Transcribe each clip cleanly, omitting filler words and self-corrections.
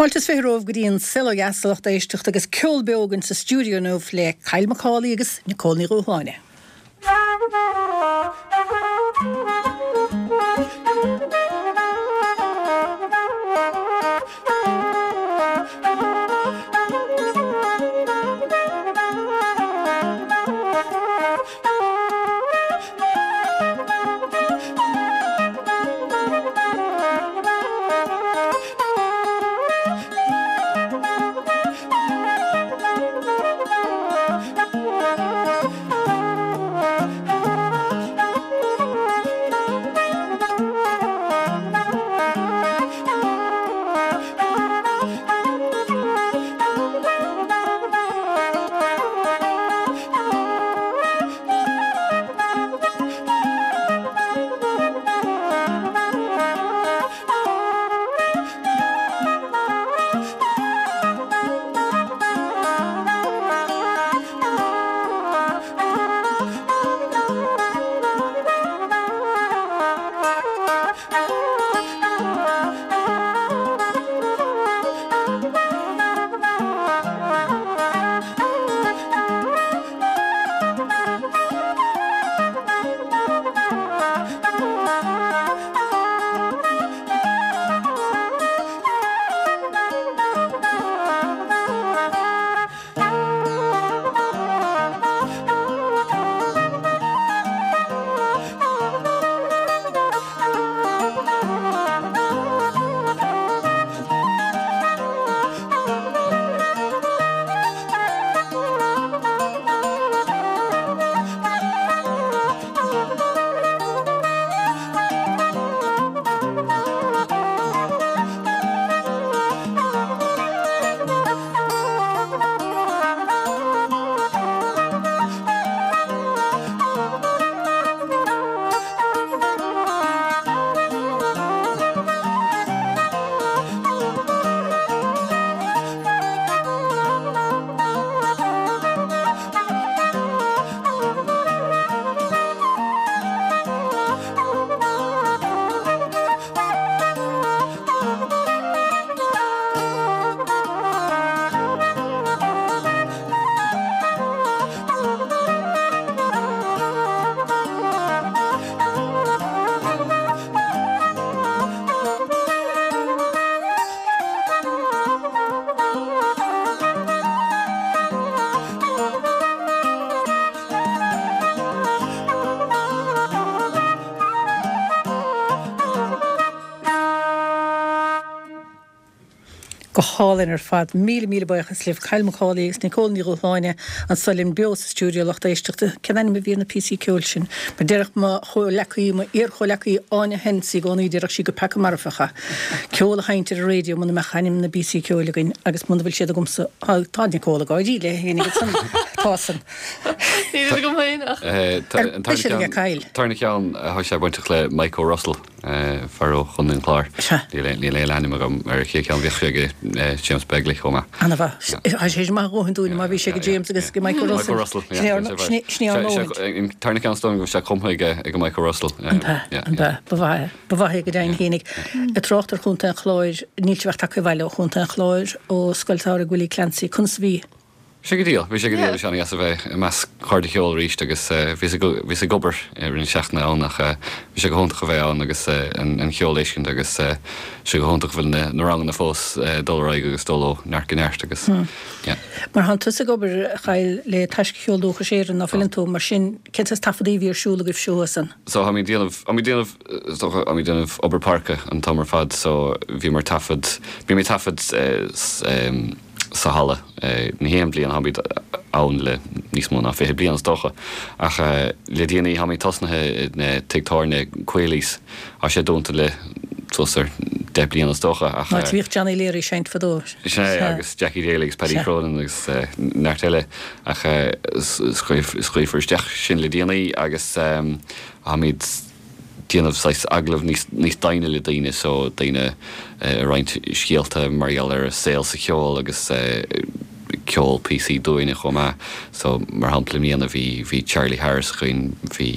Fáilte is romhaibh go dtí an Saol Ó Dheas a lucht éisteachta agus ceol beo againn sa stiúideo inniu le Kyle Macaulay agus Nicole Ní Dhúshláine. Go hálainn ar fad. Míle míle buíochas libh Kyle Macaulay agus Nicole Ní Dhúshláine anso linn beo sa stiúideo lucht éisteachta. Cén ainm a bhí ar na píosaí ceoil sin? Mar déarfadh mo chomhleacaí, mo iar-chomhleacaí Áine Hennessy i gcónaí, déarfadh sí gur peaca marfach é ceol a sheinnt ar an raidió muna mbeadh ainm na bpíosaí ceoil againn agus muna bhfuil siad agamsa, tá Nicole ag gáirí léi féin aige san, tá san. Níl siad agam féin ach. Ar beidh siad aige Kyle? Tarna ceann, tá sé bainteach le Mike O'Russell. Fear ó Chontae an Chláir. Sea. Níl aon ainm agam ar an chéad cheann. Bhíodh sé ag James Begley chomh maith. Ana-mhaith. Tá sé maith a dhóthain dúinn má bhí sé ag James agus ag Michael Russell. Michael Russell, yeah. Sin é ár ndóthain. An tarna ceann is dóigh liom go raibh sé cumtha ag Michael Russell. An ea? An ea? Ba mhaith é. Ba mhaith é go deimhin fhéinig. Ag trácht ar Chontae an Chláir, níl sibh ach tagtha abhaile ó Chontae an Chláir, ó Scoil Samhraidh Willie Clancy. Conas a bhí? Bhí sé go diail, bhí sé go diail, bhí sé an-dheas a bheith i measc cairde ceoil arís agus bhíos ag, bhíos ag obair i rith na seachtaine ann ach bhí sé go hiontach a bheith ann agus an cheol a fheiscint agus tá sé go hiontach go bhfuil na, na ranganna fós ag dul ar aghaidh agus dul ó neart go neart agus yeah. Mar thánn tusa ag obair, a Kyle, le Taisce Cheol Dúchais Éireann, ná fuileann tú? Mar sin, cén saghas taifeadaí a bhí ar siúl agaibh seo thuas ann? So táimid ag déanamh, táimid ag déanamh, is dócha, táimid ag déanamh obair páirce an t-am ar fad so bhíomar ag taifead, bímid ag taifead sa halla na haon bhliain, táimid ann le níos mó ná 20 bliain is dócha, ach le déanaí táimid tosnaithe i tigh tábhairne Quealy's, tá sé dúnta le suas ar 10 bliana is dócha ach. Áit a bhíodh Johnny Leary ag seinnt fadó. Sin é, agus Jackie Daly agus Paddy Cronin agus neart eile ach scaoilfear isteach sin le déanaí agus táimid. déanamh saghas agallamh níos níos doimhne le daoine so daoine ag roinnt scéalta mar gheall ar a saol sa cheol agus ceol píosaí dúinne chomh maith so mar shampla i mbliana bhí bhí Charlie Harris againn bhí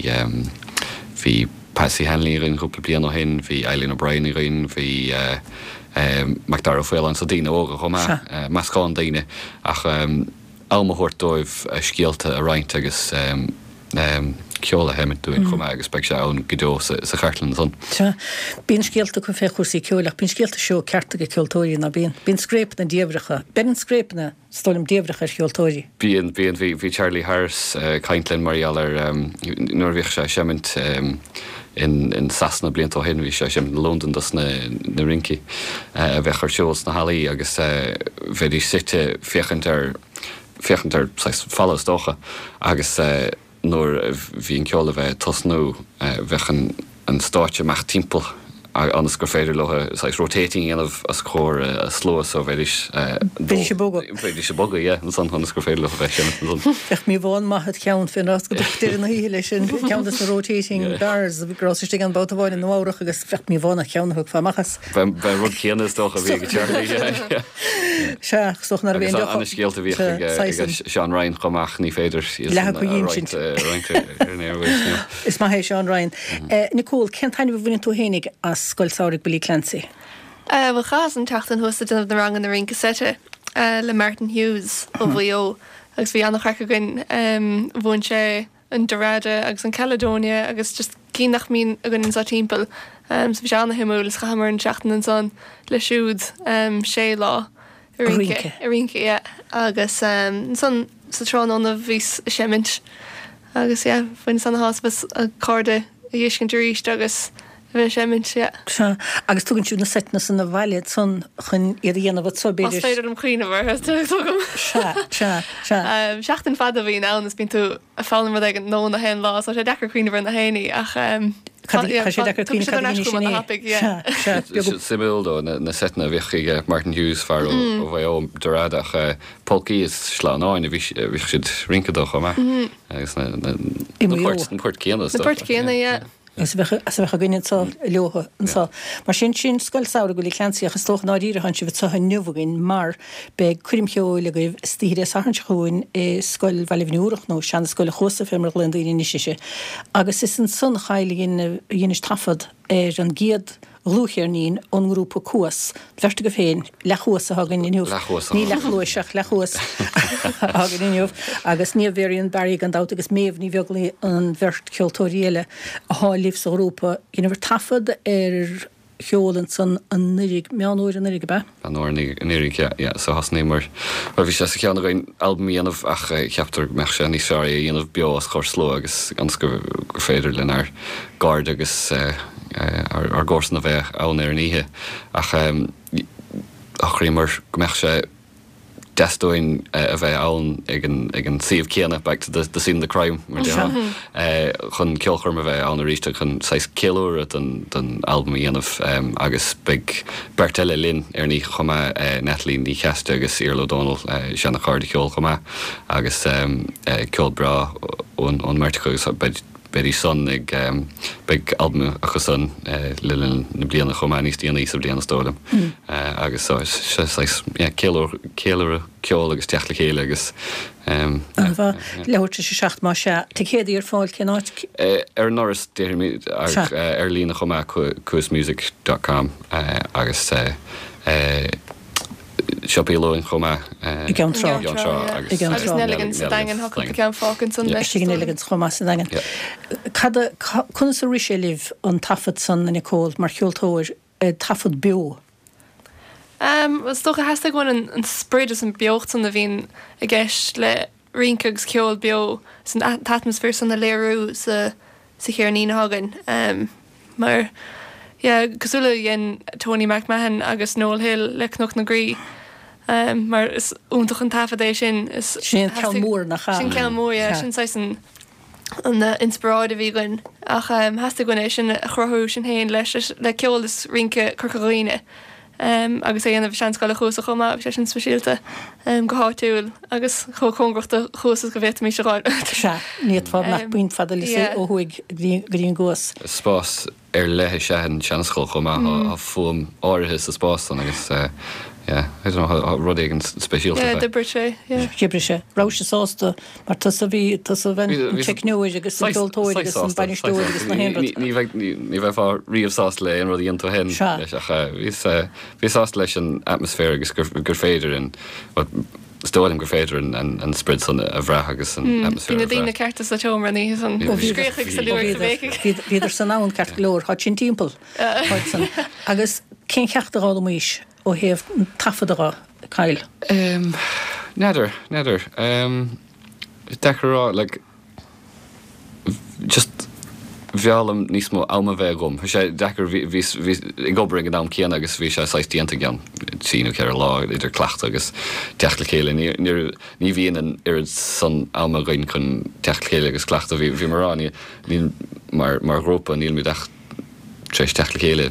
bhí Patsy Hanley againn cúpla bliain ó shin bhí Eileen O'Brien againn bhí. Macdara Ó Faoláin, so daoine óga chomh maith, meascán daoine ach am a thabhairt dóibh a scéalta a roinnt agus ceol a sheimint dúinn chomh maith agus beidh sé ann go deo sa chartlann ansan. Sea. Bíonn scéalta acu fé chúrsaí ceoil ach bíonn scéalta seó ceart ag ceoltóirí, ná bíonn? Bíonn scréipeanna diamhracha. Beireann scréipeanna. Is dóigh liom, diamhrach ar cheoltóirí. Bíonn, bíonn. Bhí, bhí Charlie Harris ag caint linn mar gheall ar nuair a bhíodh sé ag seimint in, in Sasana blianta ó shin, bhí sé ag seimint i Londain dos na, na rincí a bheadh ar siúl sna hallaí agus bheidís suite féachaint ar, féachaint ar saghas falla is dócha agus Nuair a bhí an ceol le bheith ag tosnú, bheadh an stáitse amach timpeall ionas gur féidir leo saghas rotating a dhéanamh os comhair an slua so bheidís Bheidís ag bogadh. Bheidís ag bogadh, yeah, ansan ionas gur féidir leo a bheith ag seimint ansan. Bheadh míobhán maith id cheann fén rás go deireadh na hoíche leis sin, ceann de na rotating bars go rabhas istigh ann babhta amháin i Nua Eabhrach agus bheadh míobhán id cheann a thiocfá amach as. B'é an rud céanna is dócha a bhí ag Charlie, yeah. Sea, is dócha nárbh aon deoch Agus an-scéalta a bhíodh ag Seán Ryan chomh maith, ní féidir iad san a roinnt ar an airwaves, no. Is maith é Seán Ryan. Nicole, cén taitneamh a bhaineann tú fhéinig as Scoil Samhraidh Billy Clancy? Bhuel, chaitheas an tseachtain thuas ag déanamh na ranganna rince seite le Martin Hughes ó Mhaigh Eo agus bhí an-chraic againn. Mhúin sé an Dorada agus an Caledonia agus just cinn nach mbíonn againn anseo timpeall. So bhí sé ana-shuimiúil is chaitheamar an seachtain ansan leis siúd, sé lá ag rince, ag rince, yeah. Agus ansan sa tráthnóna bhíos ag seimint agus yeah, bhaineas ana-shásamh as cairde a dh'fheiscint arís agus a bheith ag seimint, yeah. Sea, agus tugann sibh na seiteanna san abhaile ansan chun iad a dhéanamh anso, b'fhéidir. Más féidir liom cuimhneamh orthu, tugaim. Sea, sea, sea. Seachtain fada a bhíonn ann is bíonn tú ag foghlaim rud éigin nua na haon lá, so tá sé deacair cuimhneamh ar na haon ní ach Cad, tá sé deacair cuimhneamh cad a dhein sinn é. Sea, sea, beag. Suimiúil though, na seiteanna a bhíodh ag Martin Hughes, fear ó Mhaigh Eo, Dorada, ach polcaí is sleamhnáin a bhíodh siad ag rince dó chomh maith. Agus na poirt céanna is dócha. Na poirt céanna, yeah. Is a bheadh, is a bheadh againn anso leothu anso. Mar sin, sin Scoil Samhraidh Willie Clancy ach is dócha i ndáiríre tánn sibh anso inniu againn mar beidh coirm cheoil agaibh istoíche Dé Sathairn seo chugainn i Scoil Bhaile Bhinn Iúrach nó Seana-Scoil an Chuasa fé mar a ghlaonn daoine anois uirthi. Agus is ansan a Kyle a dhein, a dheinis taifead ar an gcéad dhlúthcheirnín ón ngrúpa Cuas, an bheirt agaibh féin, leathchuas atá againn inniu. Leathchuas Ní leathchluais ach leathchuas atá againn inniu. Agus Niamh Varian Barry gan dabht agus Méabh Ní Bheaglaoich an bheirt cheoltóirí eile athá libh sa ghrúpa. Dheineabhair taifead ar cheol ansan anuiridh, Meán Fhómhair anuiridh, ab ea? Meán Fhómhair anuiridh, yeah, yeah. So thosnaíomar, bhuel bhí sé sa cheann againn albam a dhéanamh ach cheaptar go mbeadh sé níos fearr é a dhéanamh beo os comhair slua agus ionas gur féidir lenár gcairde agus ár gcomharsana a bheith ann ar an oíche ach shocraíomar go mbeadh sé deas dúinn a bheith ann ag an ag an suíomh céanna, back to the the scene of the crime mar a déarfá, chun ceolchoirm a bheith ann arís chun saghas ceiliúradh don don albam a dhéanamh agus beidh beirt eile linn ar an oíche chomh maith, Natalie Ní Cheastaigh agus Iarla Ó Dónaill, seana-chairde ceoil chomh maith agus ceol breá ón ón mbeirt acu agus beidh Beidís san ag, beidh albam acu san le linn na bliana chomh maith, níos déanaí sa bhliain is dóigh liom. Agus so is saghas, yeah, ceiliúradh, ceiliúradh ceoil agus teacht le chéile agus yeah. An-mhaith. Leathuair tar éis a 7 más ea. Ticéadaí ar fáil cén áit? Ar an ndoras déarfainn ach ar líne chomh maith, cuasmusic dot com agus Siopaí Luain chomh maith. I gCeann Trá. I gCeann Trá agus. I gCeann Trá. Agus Nelligan's sa Daingean, tá cúpla ceann fágtha ansan leis. Istigh i Nelligan's chomh maith sa Daingean. Cad a, conas a rith sé libh an taifead san, a Nicole, mar cheoltóir, taifead beo? Is dócha theastaigh uainn an sprid is an beocht san a bhíonn i gceist le rince agus ceol beo san t-atmaisféar san a léiriú sa sa cheirnín atá againn. Mar, yeah, cosúil le dhein Tony MacMahon agus Noel Hill le Cnoc na Graí, mar is iontach an taifead é sin. Is Sin an ceann mór, nach ea? Sin ceann mór, yeah. Sin saghas an an inspioráid a bhí againn. Ach theastaigh uainn é sin a chruthú sinn féin leis le ceol is rince Corca Dhuibhne. Agus é a dhéanamh i Seanscoil an Chuasa chomh maith, bhí sé sin speisialta go háitiúil agus chomh cóngarach do Chuas is go bhféadfaimis a ghabháil. Sea, ní fhéadfá nach puinn fada le suí ó thuaidh go dtí an gCuas. Spás ar leith is ea an tSeanscoil chomh maith, tá fuaim áirithe sa spás san agus. Yeah, I don't know, tá rud éigin speisialta fé. Yeah, d'oibrigh sé, yeah. D'oibrigh sé. Raibh sé sásta, mar tusa a bhí, tusa a bhí an teicneoir agus an ceoltóir agus an bainisteoir agus na haon rud. Ní bheidh, ní bheifeá riamh sásta le aon rud a dhéanann tú féin leis ach bhíos, bhíos sásta leis an atmaisféar agus gur, gur féidir an, bhuel, is dóigh liom gur féidir an, an, an sprid san a bhrath agus an atmaisféar a bhrath. Bhí na daoine cearta sa tseomra an oíche san. Scréachaigh agus ag liúigh agus ag béicigh. Bhíodar san am ceart go leor, tá sin timpeall. Tá san. Agus cén cheacht a d'fhoghlaimís? ó thaobh an taifeadadh dho, Kyle? N'fheadar, n'fheadar. Deacair a rá, like, just b'fhearr liom níos mó ama bheith agam. Tá sé deacair, bhíos, bhíos ag obair ag an am céanna agus bhí sé saghas déanta i gceann trí nó ceithre lá idir cleachtadh agus teacht le chéile. Ní, ní, ní bhíonn an oiread san ama againn chun teacht le chéile agus cleachtadh. Bhí, bhí mé a rá, ní, níl, mar, mar ghrúpa, nílimid ach tar éis teacht le chéile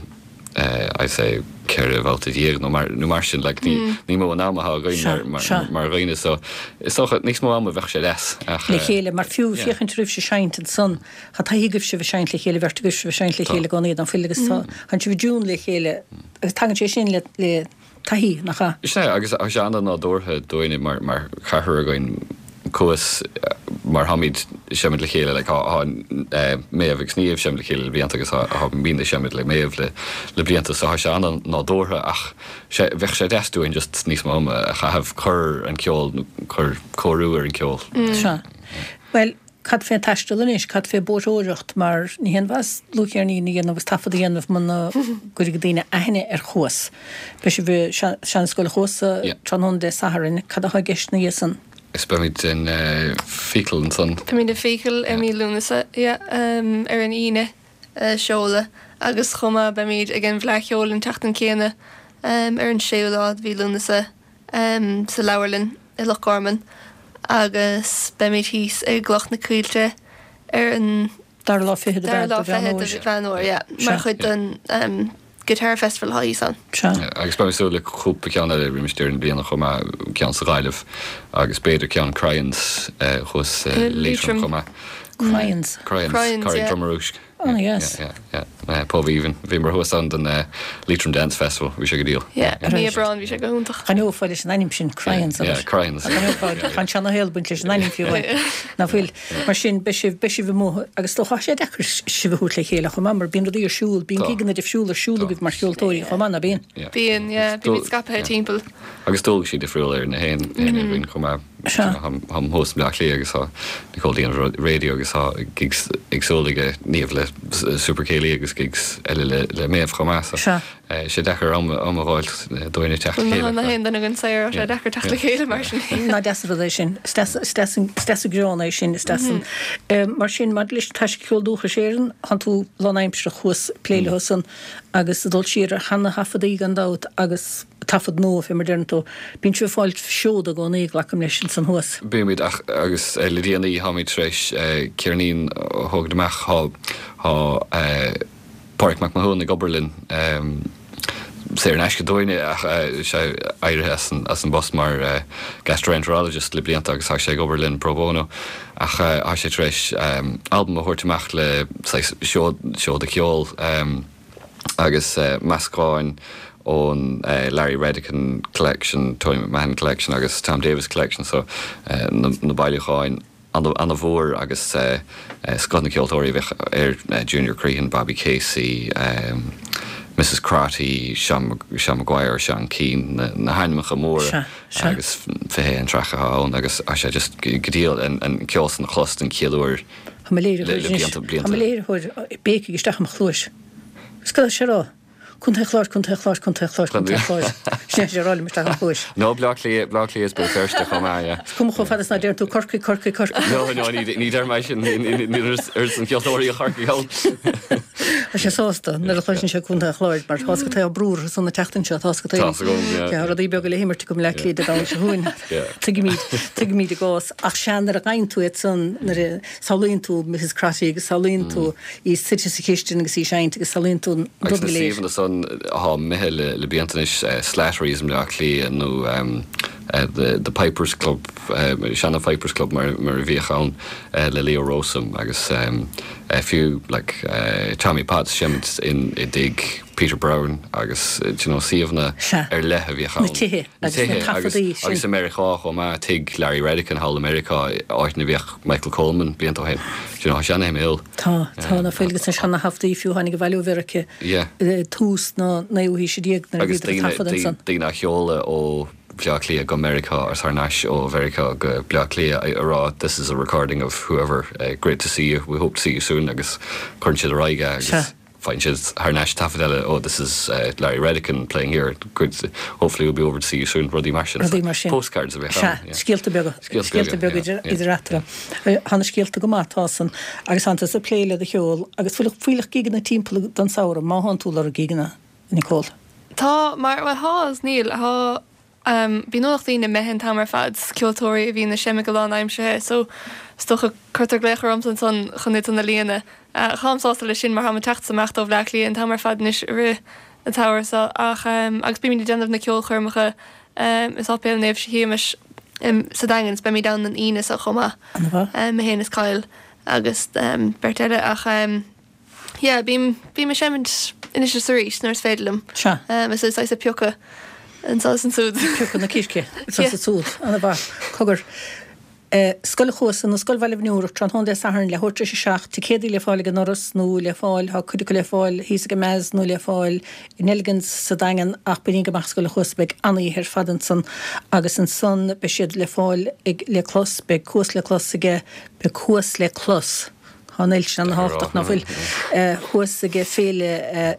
I'd say 14 bhabhta nó mar nó mar sin like ní ní mó an am atá againn mar mar mar dhaoine so is dócha níos mó ama bheadh sé deas ach Le chéile mar fiú féachaint roimh seinnt ansan tá taithí agaibh sibh ag seinnt le chéile bheirt agaibh sibh ag seinnt le chéile i gcónaí an bhfuil agus tá tá sibh i dtiún le chéile agus tagann sé sin le le taithí, nach ea? Sea, agus tá sé an-nádúrtha dúinne mar mar cheathrar againn Cuas mar tháimid ag seimint le chéile like tá tá Méabh agus Niamh ag seimint le chéile le blianta agus tá tá muidne ag seimint le Méabh le le blianta so tá sé an-nádúrtha ach sé bheadh sé deas dúinn just níos mó ama a chaitheamh cur an ceol nó cur cóiriú ar an ceol. Sea. Bhuel, Cad fén taisteal anois? Cad fé bóithreoireacht? Mar ní haon mhaitheas dlúthcheirnín a dhéanamh agus taifead a dhéanamh muna gcuirfidh daoine aithne ar Chuas. Beidh sibh i Seanscoil Chuasa tráthnóna Dé Sathairn. Cad atá i gceist ina dhiaidh san? Is beimid in Feakle ansan. Beimid i Feakle i mí Lúnasa, yeah, ar an Aoine, seoladh. Agus chomh maith beimid ag an bhFleadh Cheoil an tseachtain céanna, ar an séú lá de mhí Lúnasa. sa leabharlann i Loch Garman agus beimid thíos i gCloch na Coillte ar an Dara lá fichead de dara lá fichead de Mheán Fómhair, yeah, mar chuid den Guitar Festival atá thíos ann. Sea. Agus beimid ag súil le cúpla ceann eile roimis deireadh na bliana chomh maith, ceann sa Ghaillimh agus b'fhéidir ceann Cryans thuas i Liatroim chomh maith. Cryans. Cryans, Cryans, Dromorúisc. Oh yes. Yeah, yeah, yeah. Pub aoibhinn. Bhíomar thuas ann don Leitrim Dance Festival. Bhí sé go diail. Yeah, i mí Aibreáin bhí sé go hiontach. D'aithneofá leis an ainm sin, Cryans. Yeah, Cryans. D'aithneofá, tá an seana-shaol ag baint leis an ainm fiú amháin. Nach bhfuil? Mar sin, beidh sibh, beidh sibh amuigh agus is dócha tá sé deacair sibh a thabhairt le chéile chomh maith mar bíonn rudaí ar siúl, bíonn gigeanna difriúla ar siúl agaibh mar cheoltóirí chomh maith, ná bíonn? Bíonn, yeah. Bímid scaipthe timpeall. Agus dualgaisí difriúla ar na haon éinne againn chomh maith. Sea. Táim thuas i mBleá Cliath agus tá Nicole ag déanamh raidió agus tá gigs éagsúla aige Niamh le Super Céilí agus gigs eile le le Méabh chomh maith so Sea. sé deacair am am a dh'fháilt dúinne teacht le chéile. Bhuel nach aon duine againn saor tá sé deacair teacht le chéile mar sin. Nach deas an rud é sin. Is deas is deas an is deas an greann é sin is deas an Mar sin maidir leis Taisce Ceol Dúchais Éireann tánn tú lánaimsearach thuas ag plé leo san agus ag dul siar ar sheana thaifeadaí gan dabht agus taifead nua, fé mar deireann tú. Bíonn sibh ag fáil seoda i gcónaí, glacaim leis, ansan thuas. Bímid, ach, agus le déanaí táimid tar éis ceirnín a thógaint amach. Tá, tá Pádraig Mac Mathúna ag obair linn, saor in aisce dúinne, ach sé éirithe as an, as an bpost mar gastroenterologist le blianta agus tá sé ag obair linn pro bono. Ach tá sé tar éis albam a thabhairt amach le saghas seod, seoda ceoil. agus meascáin ón Larry Redican Collection, Tony McMahon Collection agus Tom Davis Collection so na bailiúcháin ana-mhór agus scoth na ceoltóirí a bheadh air, Junior Crehan, Bobby Casey, Mrs Crotty, Seán Maguire, Seán Keane, na hainmneacha móra agus 21 traic atá ann agus tá sé just go diail an ceol san a chlos den chéad uair. Tá mo léiritheoir anois, tá mo léiritheoir ag béicigh isteach i mo chluais. Is cad tá sé a rá? Contae an Chláir, Contae an Chláir, Contae an Chláir, Contae an Chláir. Sin é sé a rá liom isteach i mo chluais. No, Bleá Cliath, Bleá Cliath is Béal Feirste chomh maith, yeah. Is cuma chomh fada is ná deireann tú Corcaigh, Corcaigh, Corcaigh. No, no, ní, ní deir mé sin, níl oiread san ceoltóirí i Chorcaigh ann. Tá sé sásta nuair a chloiseann sé Contae an Chláir mar tá's agat tá brú orthu san an tseachtain seo, tá's agat Tá's agam, yeah. Tá rudaí beaga le himirt agam i mBleá Cliath Dé Domhnaigh seo chugainn. Tuigimid, tuigimid a gcás. Ach sea, nuair a gheibheann tú iad san, nuair a samhlaíonn tú Mrs Crotty agus samhlaíonn tú í suite sa chistin agus í ag seinnt agus samhlaíonn tú an rud go léir. Agus na suíomhanna san atá imithe le blianta anois, Slattery's i mBleá Cliath nó. The the Pipers Club, seana Pipers Club mar mar a bhíodh ann le Leo Rowsome agus fiú like Tommy Potts seimid in i dtigh Peter Brown agus do you know suíomhanna ar leith a bhíodh ann. Na tithe agus na taifeadaí sin. Agus i Meiriceá chomh maith, tigh Larry Redican thall i Meiriceá, áit ina bhíodh Michael Coleman blianta ó shin. Do you know tá sé ana-shuimiúil. Tá, tá ná fuil agus na seana-thaifeadaí fiú a tháinig abhaile ó Mheiriceá i tús na naoú haoise déag nuair a bhíodar ag taifeadadh ansan. Agus daoine á sheoladh ó Bhleá Cliath go Meiriceá agus thar n-ais ó Mheiriceá go Bleá Cliath a rá this is a recording of whoever, great to see you, we hope to see you soon agus cuireann siad ar aghaidh é agus faigheann siad thar n-ais taifead eile oh this is Larry Redican playing here, good, hopefully we'll be over to see you soon, rudaí mar sin. Rudaí mar sin. Postcards a bheadh ann. Sea, scéalta beaga. Scéalta beaga idir eatarthu. Tá na scéalta go maith, tá san. Agus tánn tusa ag plé le do cheol agus fuil fuílleach gigeanna timpeall don samhradh, má thánn tú ag lorg gigeanna, Nicole. Tá, mar, bhuel thá agus níl, thá, bíonn ualach daoine imithe an t-am ar fad, ceoltóirí a bhíonn ag seinm go lánaimseartha so is dócha cuirtear glaoch ormsa ansan chun iad san a líonadh. Táim sásta leis sin mar táim ag teacht is ag imeacht ó Bhleá Cliath an t-am ar fad anois i rith an tsamhraidh so ach, agus bímid ag déanamh na ceolchoirmeacha i Sáipéal Naomh Shéamais sa Daingean is beimid ann an Aoine seo chomh maith, mé féin is Kyle agus beirt eile ach yeah bím, bím ag seimint anois is arís nuair is féidir liom. Sea. Is é saghas ag piocadh anseo is ansúd. Piocadh na circe anseo is ansúd. Ana-mhaith. Cogar. Scoil an Chuasa nó Scoil Bhaile Bhniúrach, tráthnóna Dé Sathairn, leathuair tar éis a 7, ticéadaí le fáil ag an ndoras nó le fáil, tá cuid acu le fáil thíos ag an Mezz nó le fáil i Nelligan's sa Daingean ach bainigí amach Scoil an Chuasa, beidh an-oíche ar fad ansan agus ansan beidh siad le fáil ag le clos, beidh Cuas le clos aige, beidh Cuas le clos. Tá an L sin ana-thábhachtach, ná fuil? Thuas ag féile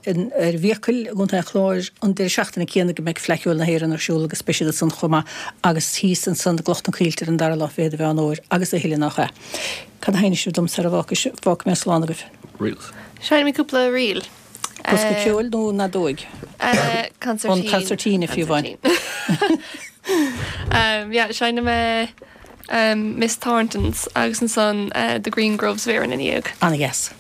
ar Mhíocail i gContae an Chláir an deireadh seachtaine céanna go mbeidh Fleadh Cheoil na hÉireann ar siúl agus beidh siad ansan chomh maith agus thíos ansan i gCloch na Coillte ar an dara lá fichead de Mheán Fhómhair agus a thuilleadh nach ea? Cad a sheinnfidh sibh dom sara bhfágfaidh mé slán agaibh? Reels. Seinnfidh mé cúpla ríl. Bosca ceoil nó fheadóig? Consairtín. An consairtín fiú amháin. Yeah, seinnfidh mé Miss Thornton's agus ansan The Green Groves of Erin ina dhiaidh. Ana-dheas.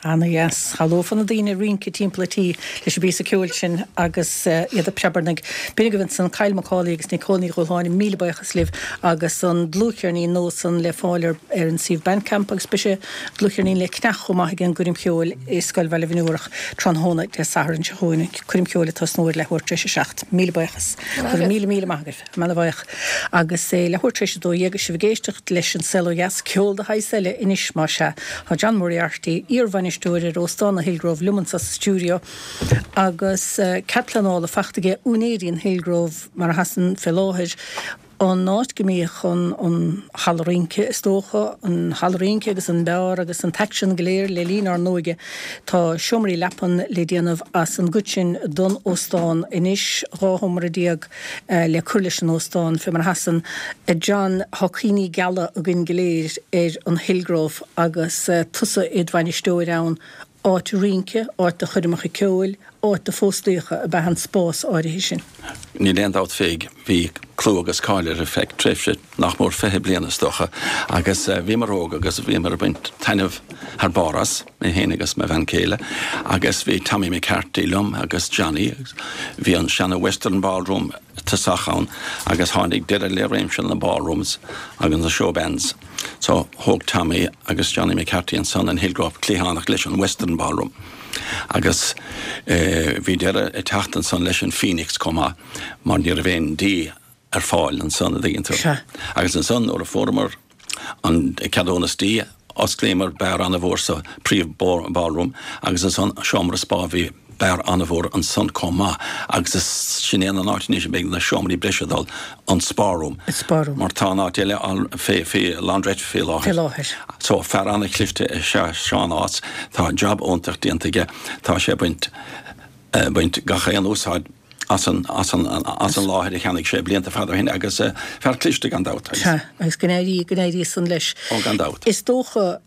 Ana dheas. Shamhlófá na daoine ag rince timpeall an tí leis an bpíosa ceoil sin agus iad ag preabarnaigh. B'in agaibh ansan Kyle Macaulay agus Nicole Ní Dhúshláine, míle buíochas libh agus an dlúthcheirnín nua san le fáil ar ar an suíomh Bandcamp agus beidh sé dlúthcheirnín le ceannach chomh maith ag an gcoirm cheoil i Scoil Bhaile Bhinn Iúrach tráthnóna Dé Sathairn seo chugainn, coirm cheoil ag tosnú ar leathuair tar éis a 7. Míle buíochas. Go raibh míle míle maith agaibh. Ana bhuíoch. Agus é leathuair tar éis a 12 agus sibh ag éisteacht leis An Saol Ó Dheas, ceol de shaghas eile anois, más ea. Tá John Moriarty, iar-bhainisteoir ar Óstán an Hillgrove liom anseo sa stiúideo agus cead pleanála fachta aige úinéirí an Hillgrove mar atá san fé láthair, an áit go mbíodh an halla rince, is dócha, an halla rince agus an beár agus an t-aicsean go léir le linn ár n-óige. Tá seomraí leapan le déanamh as an gcuid sin don óstán anois, 12 sheomra. le cur leis an óstán, fé mar atá san, a John, tá cuimhní geala againn go léir ar an Hillgrove agus tusa id bhainisteoir ann, áit rince, áit do choirmeacha ceoil, áit do phóstaíocha ab ea an spás áirithe sin. Níl aon dabht fé, bhí clú agus cáil air ar feadh tréimhse nach mór 20 bliain is dócha agus bhíomar óg agus bhíomar ag baint taitneamh thar barr as. mé féin agus mo bhean chéile agus bhí Tommy McCarthy liom agus Johnny agus bhí an seana Western Ballroom i dtosach ann agus tháinig deireadh le réimse na ballrooms agus na show bands so thóg Tommy agus Johnny McCarthy ansan an Hillgrove cliathánach leis an Western Ballroom agus bhí deireadh ag teacht ansan leis an Phoenix chomh maith mar ní raibh aon dí ar fáil ansan a dtuigeann tú. Sea. Agus ansan nuair a fuaireamar an ceadúnas dí, osclaíomar beár an-mhór sa príomh ballroom agus ansan seomra spá bhí beár an-mhór ansan chomh maith agus is sin é an áit anois a mbeidh na seomraí breise ag dul, an spa room. An spa room. Mar tá an áit eile fé, fé laundrette fé láthair. Fé láthair. So fear an-chliste is ea Seán Ághas, tá jab iontach déanta aige, tá sé ag baint, baint gach aon úsáid as an láthair a cheannaigh sé blianta fada ó shin agus fear cliste gan dabht. Sea, agus go n-éirí, go n-éirí san leis. Ó, gan dabht. Is dócha,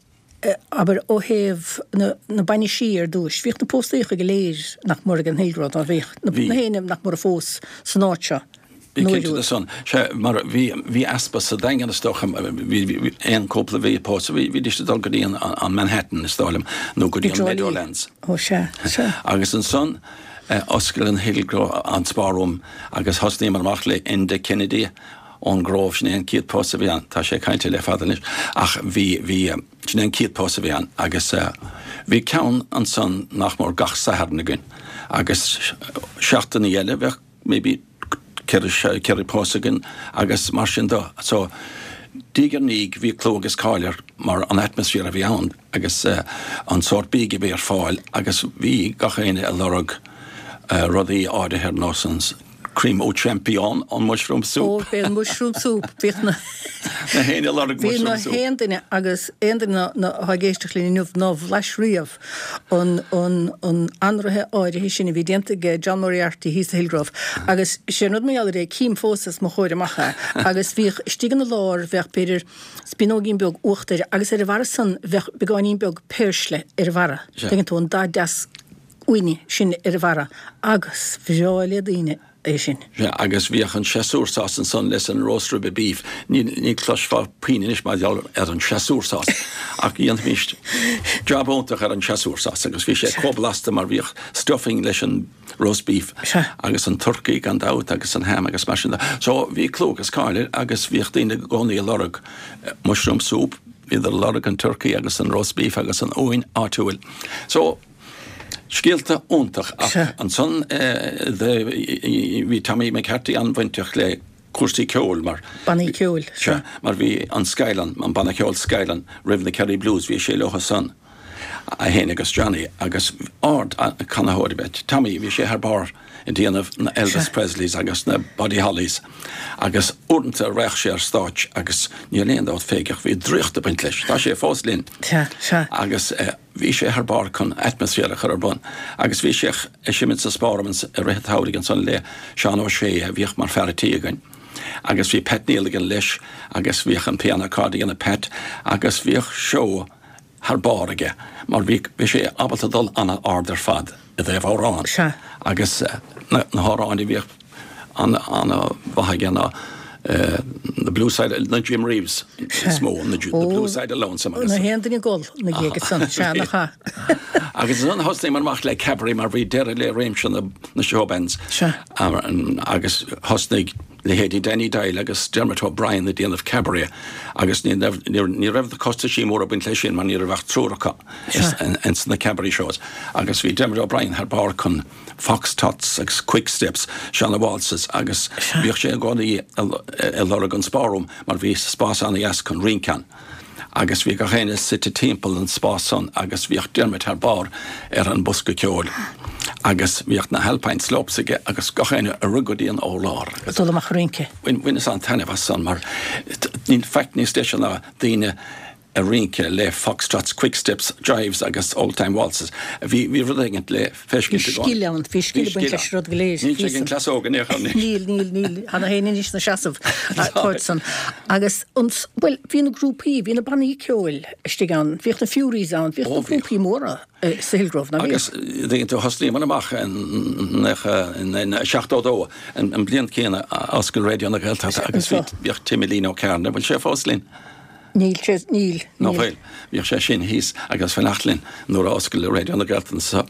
abair, ó thaobh na, na bainisí ar dtúis, bhíodh na póstaíocha go léir nach mór ag an Hillgrove, ná bhíodh? Bhí. Na héinne nach mór a phós san áit seo. Bí cinnte de san. Sea, mar bhí, bhí easpa sa Daingean is dócha, bhí, bhí aon cúpla a bhí ag pósadh, bhí, bhídís ag dul go dtí an, an Manhattan is dóigh liom, nó go dtí an Meadowlands. Ó sea, sea. Agus ansan, oscail an Hillgrove, an Spa Room agus thosnaíomar amach le Enda Kennedy ón gCróibh, sin é an chéad pósadh a bhí ann, tá sé caillte le fada anois, ach bhí, bhí, sin é an chéad pósadh a bhí ann agus bhí ceann ansan nach mór gach Satharn againn agus seachtainí eile bheadh maybe 4 pósadh againn agus mar sin de. So, diaidh ar ndiaidh bhí clú agus cáil air mar an atmaisféar a bhí ann agus an sórt bídh a bhí ar fáil agus bhí gach éinne ag lorg rudaí áirithe ar nós an cream au champignon, an mushroom soup. Ó, bhí an mushroom soup, bhíodh na. Na héinne ag lorg Bhí mushroom na soup. haon duine agus aon duine atá ag éisteacht linn inniu nár bhlais riamh an an anraithe áirithe sin a bhí déanta ag John Moriarty thíos sa Hillgrove agus sé an rud mar gheall air é, cím fós os mo chomhair amach é agus bhíodh istigh ina lár, bheadh b'fhéidir spíonóigín beag uachtair agus ar a bharra san bheadh beagáinín beag péirsle ar a bharra, tuigeann tú, an dath deas uaine sin ar a bharra agus bhreá le daoine é sin. Sea, agus bhíodh an séasúr sauce ansan leis an roast rib of beef. Ní, ní chloisfeá puinn anois mar gheall ar an séasúr sauce, ach dhéanfaimis jab iontach ar an séasúr sauce agus bhí sé chomh blasta mar bhíodh stuffing leis an roast beef agus an turcaí gan dabht agus an ham agus mar sin de. So bhí clú agus cáil air agus bhíodh daoine i gcónaí ag lorg mushroom soup, bhíodar ag lorg an turcaí agus an roast beef agus an uain áitiúil. So, Scéalta iontach ach ansan bhí Tommy McCarthy an-bhainteach le cúrsaí ceoil mar. Bannaí ceoil, sea. Mar bhí an Skyline, an banna ceoil Skyline roimh na Kerry Blues, bhí sé leo san, é féin agus Johnny agus ard canaitheoir ab ea Tommy, bhí sé thar barr ag déanamh na Elvis Presleys agus na Buddy Hollys agus uaireanta raghadh sé ar stáitse agus níl aon dabht fé ach bhí draíocht ag baint leis, tá sé fós linn. Sea, sea. Agus. Bhí sé thar barr chun atmaisféar a chur ar bun agus bhí sé ag seimint sa Spá Room i rith an tsamhraidh ansan le Seán Ó Sé a bhíodh mar fear a' tí againn agus bhí Pat Niallagan leis agus bhíodh an piano accord ag déanamh Pat agus bhíodh seó thar barr aige mar bhí bhí sé ábalta dul an-ard ar fad i dtaobh amhrán agus na hamhráin a bhíodh an-mhaith aige ná. The Blue Side, na Jim Reeves is mó, The Blue Side of Lonesome agus. Nach aon duine ag gol ina dhiaidh san, sea, nach ea. Agus ansan thosnaíomar amach le cabaret mar bhí deireadh le réimse na showbands. Sea. Agus thosnaigh leithéidí Danny Doyle agus Dermot O'Brien ag déanamh cabaret agus ní raibh ní raibh na costaisí móra ag baint leis sin mar ní raibh ach triúr acu ins na cabaret shows. Agus bhí Dermot O'Brien thar barr chun fox trots agus quick steps, seana waltzes agus bhíodh sé i gcónaí ag lorg an spare room mar bhí spás ana-dheas chun rince ann agus bhí gach éinne suite timpeall an spás san agus bhíodh Dermot thar barr ar an bosca ceoil agus bhíodh na Alpine Slopes aige agus gach éinne ag rith go dtí an urlár. Ag dul amach ag rince. Bhaineas an-taitneamh as san mar níl faic níos deise ná daoine ag rince le foxtrots, quick steps, jives agus old time waltzes. Bhí bhí rud éigin le feiscint i gcónaí. Bhí scil ann, bhí scil ag baint leis an rud go léir. Níl sé ag an cleas óg in aon chor anois. Níl, níl, níl. Tá nach éinne anois ina seasamh ort san. Agus an, bhuel, bhí na grúpaí, bhí na bannaí ceoil istigh ann, bhíodh na Fureys ann, bhíodh na grúpaí móra sa Hillgrove, ná bhíodh? Agus dtuigeann tú, thosnaíomar amach in 72, an bliain céanna a oscail Raidió na Gaeltachta agus bhíodh Timilín Ó Cearna, bhfuil sé fós linn? Níl sé, níl, Ná níl. fuil. Bhíodh sé sin thíos ag fanacht linn nuair a oscail Raidió na Gaeltachta so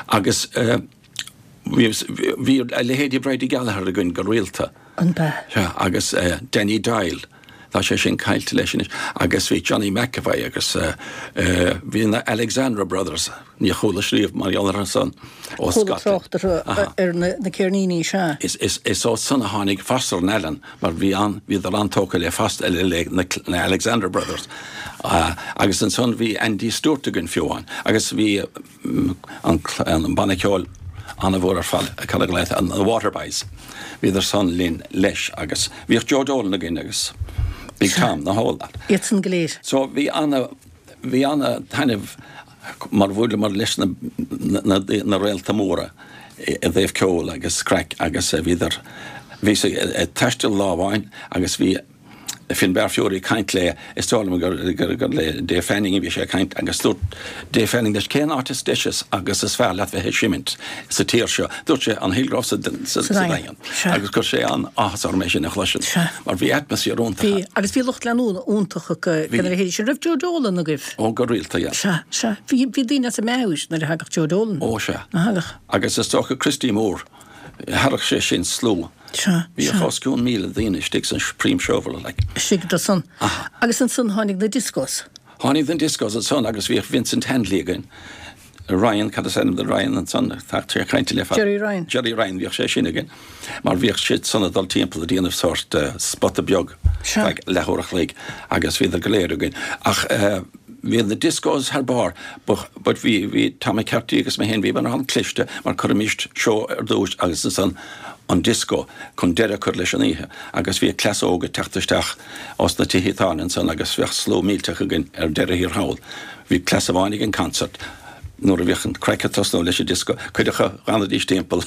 agus bhí, bhí a leithéidí Bridie Gallagher againn go rialta. An b'ea? Sea, agus Danny Doyle, tá sé sin caillte leis anois, agus bhí Johnny McEvoy agus bhí na Alexandra Brothers. Níor chualais riamh mar gheall orthu san ó Chuala Scotland. trácht orthu ar na ceirníní, sea. Is ó san a tháinig Foster and Allen mar bhí an, bhíodar an-tógtha le Foster, le na Alexander Brothers. Agus ansan bhí Andy Stewart againn fiú amháin. Agus bhí an banna ceoil an-mhór ar fad, cad a ghlaotar, na Waterboys. Bhíodar san linn leis agus bhíodh Joe Dolan againn agus Big Tom, the whole lot. Iad san go léir. So bhí ana, bhí ana-thaitneamh mar bhuaileamar leis na réalta móra i dtaobh ceoil agus craic agus bhíodar, bhíos ag taisteal lá amháin agus bhí Finbar Furey ag caint le, is dóigh liom gur le Dave Fanning a bhí sé ag caint agus dúirt Dave Fanning leis cén áit is deise agus is fearr leat bheith ag seimint sa tír seo? Dúirt sé an Hillgrove sa Daingean agus chuir sé an-áthas orm é sin a chloisint mar bhí atmaisféar iontach ann. Bhí, agus bhí lucht leanúna iontach acu, de na leithéidí sin. Raibh Joe Dolan agaibh? Ó, go rialta, yeah. Sea, sea. Bhí, bhí daoine as a meabhair nuair a thagadh Joe Dolan. Ó, sea. Ná thagadh? Agus is dócha Christy Moore, tharraing sé sin slua. Sea, Bhíodh sea. os cionn 1,000 daoine istigh san Supreme Showroom, like. Istigh do san. Aha. Agus ansan tháinig na discos. Tháinig na discos ansan agus bhíodh Vincent Handley againn. Ryan, cad is ainm do Ryan ansan? Tá sé caillte le fada. Gerry Ryan. Gerry Ryan, bhíodh sé sin againn. Mar bhíodh siad san ag dul timpeall ag déanamh sórt spota beag feadh leathuair a chloig agus bhíodar go léir againn. Ach bhí na discos thar barr but bhí, bhí Tom McCarthy agus mé féin, bhíomar an-chliste mar chuirimis seó ar dtús agus ansan an disco chun deireadh a chur leis an oíche agus bhíodh cleas óg ag teacht isteach ós na tithe tábhairne ansan agus bheadh slua millteach againn ar deireadh thiar thall. Bhí cleas amháin ag an concert nuair a bhíodh an craic ag tosnú leis an disco, cuid acu dh'fhanaidís timpeall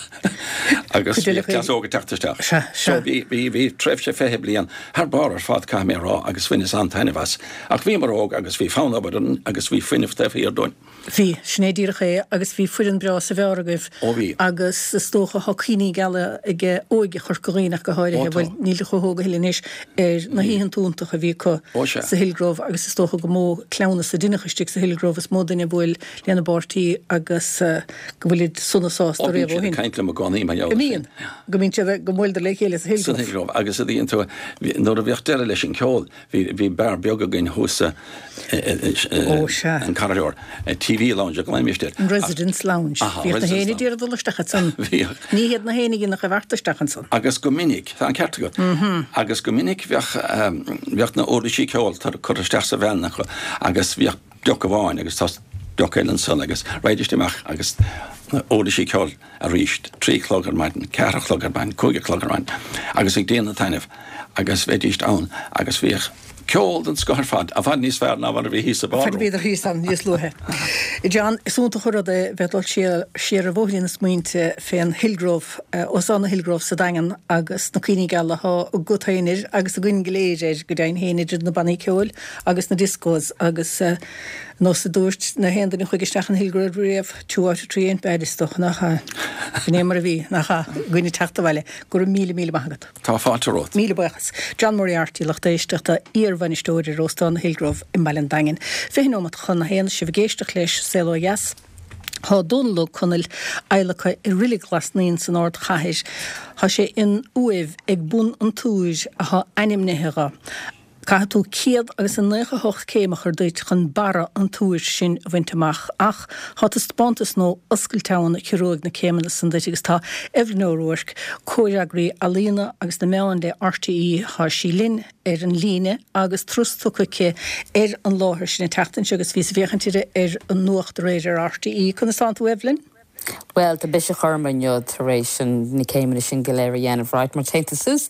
agus bhíodh cleas óg ag teacht isteach. So bhí, bhí, bhí tréimhse 20 bliain thar barr ar fad caithfidh mé a rá agus bhaineas an-taitneamh as. Ach bhíomar óg agus bhí fonn obair orainn agus bhí fuinneamh taobh thiar dúinn. Bhí, sin é díreach é agus bhí foireann breá sa bheár agaibh. Ó bhí. Agus is dócha tá cuimhní geala ag óige Chorca Dhuibhne ach go háirithe, bhuel níl siad chomh hóg a thuilleadh anois, ar na hoícheanta iontacha a bhí acu sa Hillgrove agus is dócha gur mó cleamhnas a deineadh istigh sa Hillgrove, is mó duine a bhuail lena bpáirtí agus go bhfuilid sona sásta riamh ó shin. Ó bíonn siad ag caint liom i gcónaí mar gheall air sin. An mbíonn? Go mbíonn siad, go mbuaileadar le chéile sa Hillgrove. San Hillgrove agus a dtuigeann tú, nuair a bhíodh deireadh leis an ceol, Bhí beár beag againn thuas sa Ó, sea. an corridor, TV Lounge a ghlaoimis air. An Residents Lounge. Aha, Bhíodh na Residents héinne ag iarraidh dul isteach ansan. Bhíodh. Ní hiad na héinne nach raibh ort isteach ansan. Agus go minic, tá an ceart agat, agus go minic bheadh, bheadh na uirlisí ceoil curtha isteach sa veain acu agus bhíodh deoch amháin agus tá deoch eile ansan agus raghaidís amach agus na uirlisí ceoil arís, 3 a chlog ar maidin, 4 a chlog ar maidin, 5 a chlog ar maidin agus ag déanamh taitnimh agus bheidís ann agus bhíodh ceol den scoth ar fad, i bhfad níos fearr ná mar a bhí thíos sa bar room. Bhíodar thíos ann níos luaithe. John, is iontach an rud é bheith ag dul siar siar ar bhóithrín na smaointe fén Hillgrove, Óstán an Hillgrove sa Daingean agus na cuimhní geala atá agat féin air agus againn go léir air, go deimhin féin, idir na bannaí ceoil agus na discos agus. Nós a dúirt na haon duine a chuaigh isteach in Hillgrove riamh, two out of three ain't bad is dócha, nach ea? Sin é mar a bhí, nach ea? Againn ag teacht abhaile. Go raibh míle, míle maith agat. Tá fáilte romhat. Míle buíochas. John Moriarty, lucht éisteachta, iar-bhainisteoir ar Óstán na Hillgrove i mBaile an Daingin. 20 nóimeat chun a haon, sibh ag éisteacht leis, Saol Ó Dheas. Tá Dónal Ó Conaill adhlactha i Reilig Ghlas Naíon san ardchathair. Tá sé in uaimh ag bun an túir athá ainmnithe dho. Caithfidh tú céad agus a 98 céim a chur duit chun barra an túir sin a bhaint amach. Ach tá taispeántas nua oscailte ann a chiorróidh na céimeanna san duit agus tá Evelyn O'Rourke, comhfhreagraí ealaíona agus na meán le RTÉ, tá sí linn ar an líne agus turas tugtha aici ar an láthair sin an tseachtain seo agus bhíos ag féachaint uirthi ar an nuacht aréir ar RTÉ. Conas tánn tú Evelyn? Bhuel, tá biseach orm inniu tar éis na céimeanna sin go léir a dhéanamh, right, mar téann tú suas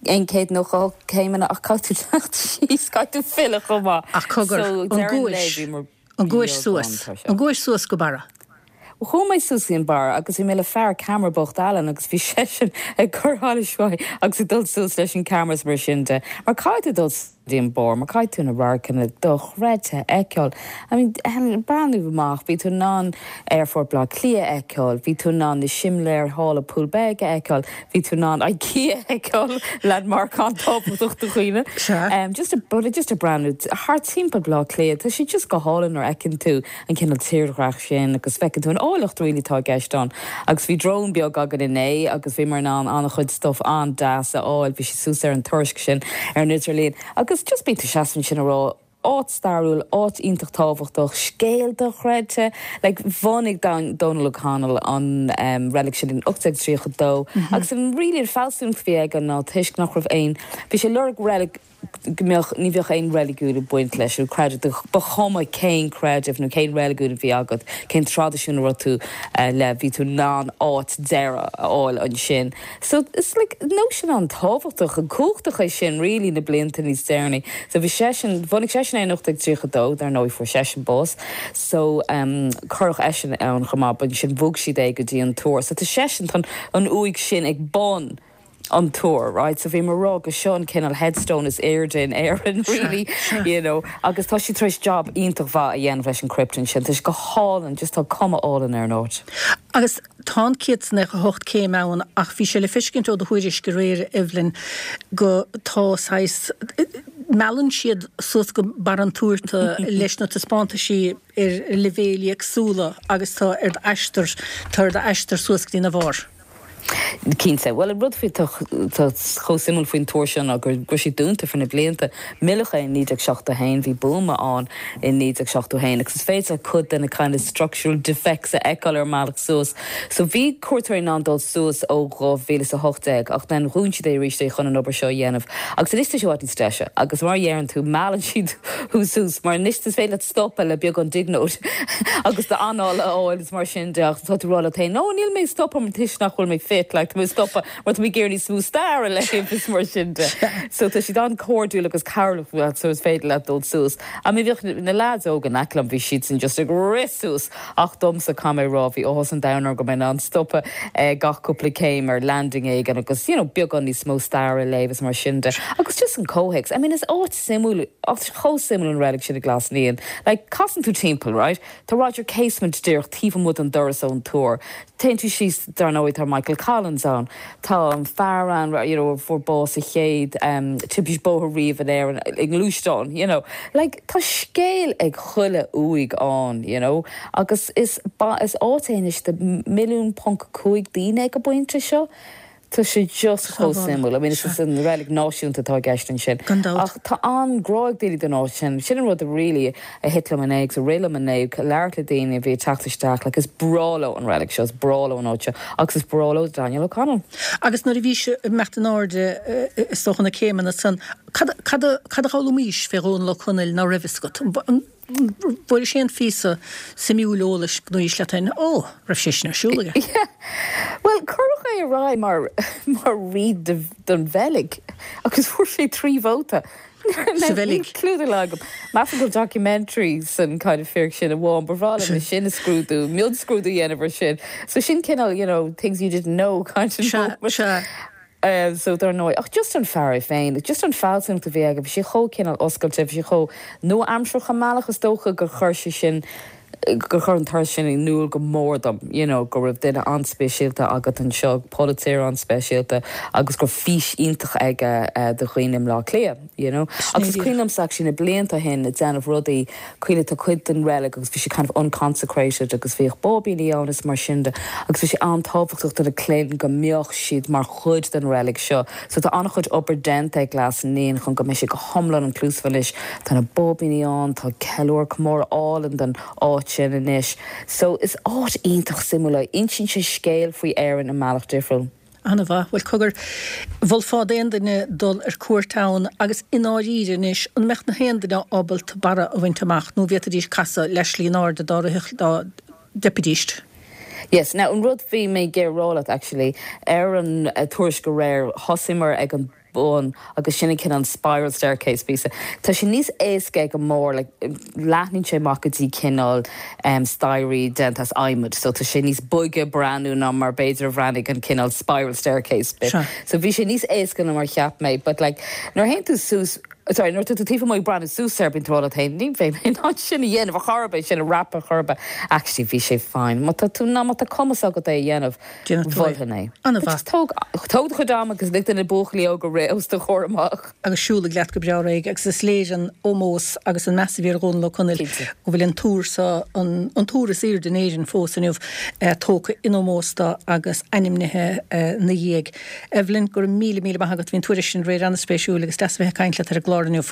198 céimeanna ach caithfidh tú teacht síos, caithfidh tú filleadh chomh maith. Ach cogar, an gcuais, an gcuais suas, an gcuais suas go barra? Bhuel, chuaigh mé suas go dtí an barra agus bhí mé le fear ceamara bocht Alan agus bhí seisean ag cur allais uaidh agus ag dul suas leis an ceamara is mar sin de, mar caithfidh tú dul dtí an barr, mar caithfidh tú na radharcanna dochreidte a fheiceáil. I mean, breathnú amach, bhí tú in ann Aerfort Bhaile Átha Cliath a fheiceáil, bhí tú in ann na simléir thall i Poolbeg a fheiceáil, bhí tú in ann IKEA a fheiceáil, landmark an-tábhachtach do dhaoine. Sea. Just a, but just a breathnú thart timpeall Bhaile Átha Cliath, tá sé just go hálainn nuair a fheiceann tú an cineál tírdhreach sin agus feiceann tú an áilleacht really atá i gceist ann. Agus bhí drone beag againn inné agus bhíomar in ann an-chuid stuff an-deas a fháil, bhí sé suas ar an tuairisc sin ar an idirlíon. Agus just bíonn tú seasamh ansin ag rá, áit stairiúil, áit iontach tábhachtach, scéal dochreidte. Like bhunaigh Dónal O'Connell an reilig sin in 1832 agus an really an fealsúnacht a bhí aige ná toisc nach raibh aon, bhí sé ag lorg reilig, go mbeadh, ní bheadh aon reiligiún ag baint leis, nó creideamh, ba chuma cén creideamh nó cén reiligiún a bhí agat, cén traidisiún a raibh tú le, bhí tú in ann áit deiridh a fháil ansin. So, is like nóisean an-tábhachtach and cumhachtach é sin really na blianta níos deireanaí. So bhí seisean, bhunaigh seisean é in 1832, dar ndóigh fuair seisean bás, so cuireadh eisean ann chomh maith, but ansin bhog siad é go dtí an túr. So tá seisean, tá an uaigh sin ag bun an túr, right? So bhí mé ag rá go seo an cineál headstone is airde in Éirinn, really, you know. Agus tá siad tar éis job iontach mhaith a dhéanamh leis an crypt ansin. Tá sé go hálainn, just tá cuma álainn ar an áit. Agus tá an 198 céim ann ach bhí sé le feiscint ó do thuairisc aréir, Evelyn, go tá saghas, meallann siad suas go barr an túir tú leis na taispeántaisí ar leibhéil éagsúla agus tá ar d'aistear, tá ar d'aistear suas go dtí na bharr. Cinnte. Bhuel, an rud faoi atá chomh suimiúil faoin túr seo ná go raibh sé dúnta for na blianta. Milleadh é in 1971, bhí buama ann in 1971 agus is féidir leat cuid de na kind of structural defects a fheiceáil ar an mbealach suas. So bhí cuairteoirí in ann dul suas ó 2018 ach then dhún siad é arís é chun an obair seo a dhéanamh. Agus anois tá sé i bhfad níos deise agus mar a dheireann tú, meallann siad thú suas mar anois is féidir leat stopadh le beagán diagnóis agus d'anáil a fháil is mar sin de ach tá tú ag rá leat féin, no níl mé ag stopadh mar toisc nach bhfuil mé fit, like tá mé ag stopadh mar tá mé ag iarraidh níos mó stair a léamh is mar sin de. So tá siad an-chairdiúil agus cabhrach leat so is féidir leat dul suas. I mean bhíodh na lads óga in aice liom bhí siadsan just ag rith suas ach domsa caithfidh mé a rá bhí áthas an domhain orm go raibh mé in ann stopadh gach cúpla céim ar landing éigin agus you know beagán níos mó stair a léamh is mar sin de. Agus just an comhthéacs, I mean is áit suimiúil, áit chomh suimiúil an reilig sin i nGlas Naíon. Like casann tú timpeall, right? Tá Roger Casement díreach taobh amuigh den doras ón túr. Téann tú síos, dar ndóigh tá Michael Collins ann. Tá an fear ann, you know, a fuair bás sa chéad timpiste bóthair riamh in Éirinn i ngluaisteán, you know. Like, tá scéal ag chuile uaigh ann, you know. Agus is, is áit é anois do 1.5 milliún daoine ag an bpointe seo. Tá sé just chomh suimiúil. I mean, is an reilig náisiúnta atá i gceist ansin. Gan dabht. Ach tá an-grá ag daoine don áit sin. Sin an rud a really a thit liom inné agus a rith liom inné, ag labhairt le daoine a bhí ag teacht isteach, like is breá leo an reilig seo, is breá leo an áit seo agus is breá leo Daniel O'Connell. Agus nuair a bhís ag imeacht in airde, is dócha, na céimeanna san, cad, cad a, cad a d'fhoghlaimís fé Dhónal Ó Conaill ná raibh fhios agat? Bhfuair sé aon phíosa suimiúil eolais go ndúirt leat féin, Ó, raibh sé sin ar siúl aige? Yeah. Bhuel, cuireadh é ar aghaidh mar, mar rí don Bheilg agus fuair sé 3 vóta. Sa Bheilg? Níl clue dá laghad agam. Measaim go bhfuil documentary san kind of fíric sin amháin. Ba bhreá liom é sin a scrúdú, mionscrúdú a dhéanamh ar sin. So sin cineál, you know, things you didn't know kind of Sea, moment. sea. So dar ndóigh, ach just an fear é féin, just an fealsúnacht a bhí aige, bhí sé chomh cineál oscailte, bhí sé chomh nua-aimseartha i mbealach, is dócha gur chuir sé sin, gur chuir an turas sin in iúl go mór dom, you know, go raibh duine an-speisialta agat anseo, polaiteoir an-speisialta agus go raibh fís iontach aige do dhaoine i mBleá Cliath, you know. Agus is cuimhin liomsa actually na blianta ó shin ag déanamh rudaí, cuimhin tá cuid den reilig agus bhí sé kind of unconsecrated agus bhíodh báibíní ann is mar sin de agus bhí sé an-tábhachtach do na clainn go mbeadh siad mar chuid den reilig seo. So tá an-chuid obair déanta ag Glas Naíon chun go mbeidh sé go hiomlán inclusive anois. Tá na báibíní ann, tá ceiliúradh, comóradh álainn den áit sin anois. So is áit iontach suimiúil é. Insíonn sé scéal faoi Éirinn i mbealach difriúil. An-mhaith. Bhuel, cogar, mholfá d'aon duine dul ar cuairt ann agus i ndáiríre anois, an mbeadh na haon duine ábalta barra a bhaint amach nó bhféadfaidís casadh leath slí in airde dá rithfeadh, dá dteipfidís? Yes. Now, an rud bhí mé ag iarraidh rá leat actually, ar an tuairisc aréir, thosaíomar ag an bun agus sin an cineál spiral staircase píosa. Tá sé níos éasca ag an mbarr, like, leathnaíonn sé amach go dtí cineál staighrí déanta as adhmad, so tá sé níos boige breathnú ná mar b'fhéidir a bhreathnaigh an cineál spiral staircase bit. So bhí sé níos éasca ná mar cheap mé, but like, nuair a théann tú suas, sorry, nuair atá tú taobh amuigh ag breathnú suas air, bíonn tú ag rá leat féin, ní bheidh mé in ann sin a dhéanamh ar chor ar bith, sin a dhreapadh ar chor ar bith. Actually, bhí sé fine. Má tá tú, ná má tá cumas agat é a dhéanamh, mholfainn é. An-mhaith. Just tóg, tóg do chuid ama agus lig do na buachaillí óga rith os do chomhair amach. Agus siúlaigh leat go breá réidh agus is léir an ómós agus an meas a bhí ar Dhónall Ó Conaill go bhfuil an túr seo, an túr is aoirde in Éirinn fós inniu, tógtha in ómós dó agus ainmnithe ina dhiaidh. Evelyn, go raibh míle, míle maith agat. Bhí an tuairisc sin aréir an-spéisiúil agus deas a bheith ag caint leat ar an gclár inniu.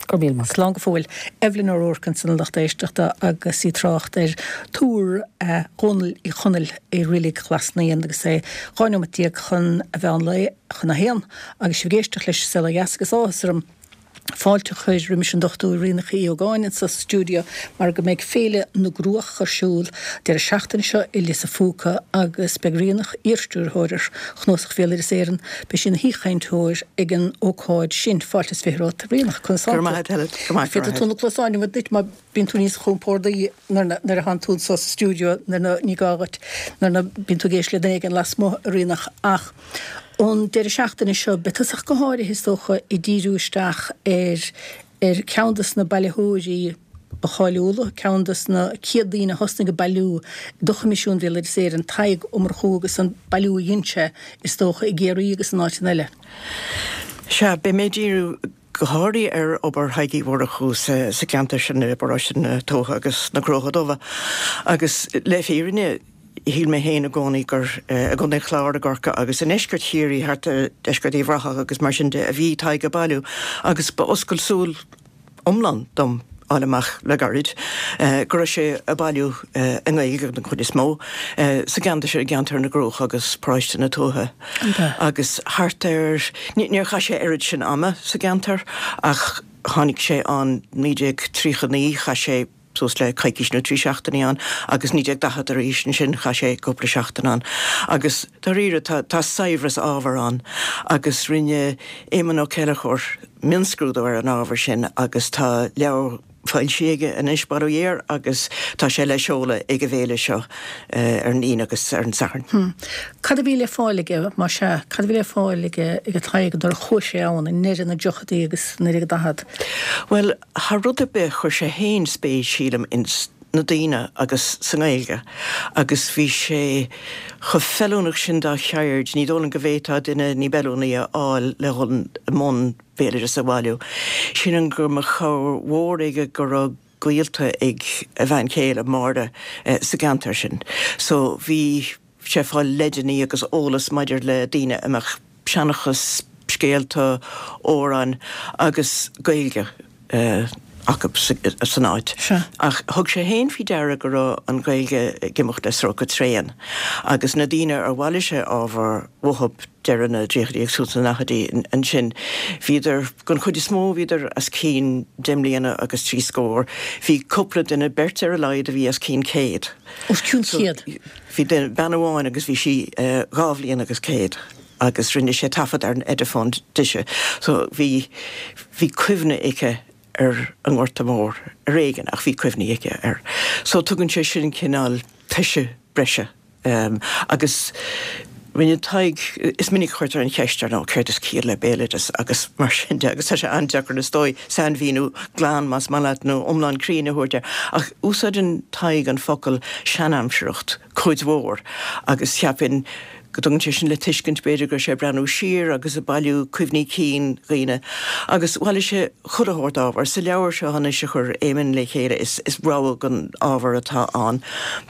Go raibh míle maith. Slán go fóill. Evelyn O'Rourke ansan a lucht éisteachta agus í ag trácht ar Túr Dhónaill Uí Chonaill i Reilig Ghlas Naíon agus é 12 nóimeat chun a mheán lae, chun a haon, agus sibh ag éisteacht leis An Saol Ó Dheas agus áthas orm fáilte a chur roimis an Dr. Ríonach Uí Ógáin anso sa stiúideo mar go mbeidh Féile na gCruach ar siúl deireadh seachtaine seo i Lios a' Phúca agus beidh Ríonach, iarstiúrthóir ar Chnuasach Bhéaloideas Éireann, beidh sí ina haoichainteoir ag an ócáid sin. Fáilte is 20 romhat, a Ríonach. Conas tánn tú? Go raibh maith agat, Helen. Go maith, go raibh Féadfaidh tú na cluasáin a bhaint duit má bíonn tú níos compórdaí nuair a thánn tú anso sa stiúideo nuair ná ní gá dhuit nuair ná bíonn tú ag éisteacht le duine éigin lasmuigh, a Ríonach. Ach an deireadh seachtaine seo, beidh tusa ach go háirithe, is dócha, ag díriú isteach ar ar cheann de na bailitheoirí ba cháiliúla, ceann de na chéad daoine a thosnaigh ag bailiú do Choimisiún Bhéaloideas Éireann, Tadhg Ó Murchú agus an bailiú a dhein sé, is dócha, i gCiarraí agus in áiteanna eile. Sea, beidh mé ag díriú go háirithe ar obair Thaidhg Uí Mhurchú sa gceantar sin i bparóiste na Tuaithe agus na Cruacha Dubha agus le fírinne shíl mé féin i gcónaí gur i gContae an Chláir, i gCorcaigh agus i ndeisceart Chiarraí, thart ar deisceart Uíbh Ráthach agus mar sin de, a bhí Tadhg ag bailiú agus ba oscailt súl iomlán dom fháil amach le gairid go raibh sé ag bailiú i nGaeilge den chuid is mó sa gceantar sin, i gceantar na gCruach agus paróiste na Tuaithe agus thart ar, níor chaith sé oiread sin ama sa gceantar ach tháinig sé ann 1939, chaith sé suas le coicís nó 3 seachtainí ann agus 1940 arís ansin chaith sé cúpla seachtain ann agus dáiríre tá tá saibhreas ábhair ann agus rinne Éamonn Ó Céilleachair mionscrúdú ar an ábhar sin agus tá leabhar foilsithe aige anois, bail ó Dhia air, agus tá sé le seoladh ag an bhféile seo ar an Aoine agus ar an Satharn. Cad a bhí le fáil aige, más ea? Cad a bhí le fáil aige ag Tadhg nuair a chuaigh sé ann i ndeireadh na dtríochaidí agus 1940? Bhuel, thar rud ar bith, chuir sé fhéin spéis, sílim, ins na daoine agus sa nGaeilge agus bhí sé chomh feiliúnach sin dá cheird, ní dóigh liom go bhféadfá duine ní b'fheiliúnaí a fháil le dhul i mbun béaloideas a bhailiú. Sílim go mba chabhair mhór aige go raibh gaolta ag a bhean chéile, Máire, sa gceantar sin. So bhí. sé ag fáil leideanna agus eolas maidir le daoine a mbeadh seanchas, scéalta, amhráin agus Gaeilge acu san áit. Ach thug sé féin faoi deara go raibh an Ghaeilge ag imeacht le sroicheadh tréan agus na daoine ar bhailigh sé ábhar uathu deireadh na dtríochaidí agus tús na ndaichidí ansin, bhíodar, den chuid is mó, bhíodar os cionn deich mbliana agus trí scór. Bhí cúpla duine, beirt ar a laghad, a bhí os cionn céad. Os cionn céad? Bhí duine, bean amháin agus bhí sí dhá bhliain agus céad agus rinne sé taifead ar an Ediphone dise so bhí, bhí cuimhne aici ar an nGorta Mór ar éigean ach bhí cuimhní aici air. So tugann sé sin cineál toise breise agus. Rinne Tadhg, is minic a chuirtear an cheist ar ndóigh, céard is ciall le béaloideas agus mar sin de agus tá sé an-deacair is dóigh sainmhíniú glan más maith leat nó iomlán cruinn a thabhairt air ach úsáideann Tadhg an focal seanaimsireacht cuid mhór agus cheapfainn go dtugann sé sin le tuiscint b'fhéidir go raibh sé ag breathnú siar agus ag bailiú cuimhní cinn dhaoine agus bhailigh sé chuile shórt ábhar. Sa leabhar seo anois a chuir Éamonn le chéile is rogha den ábhar atá ann.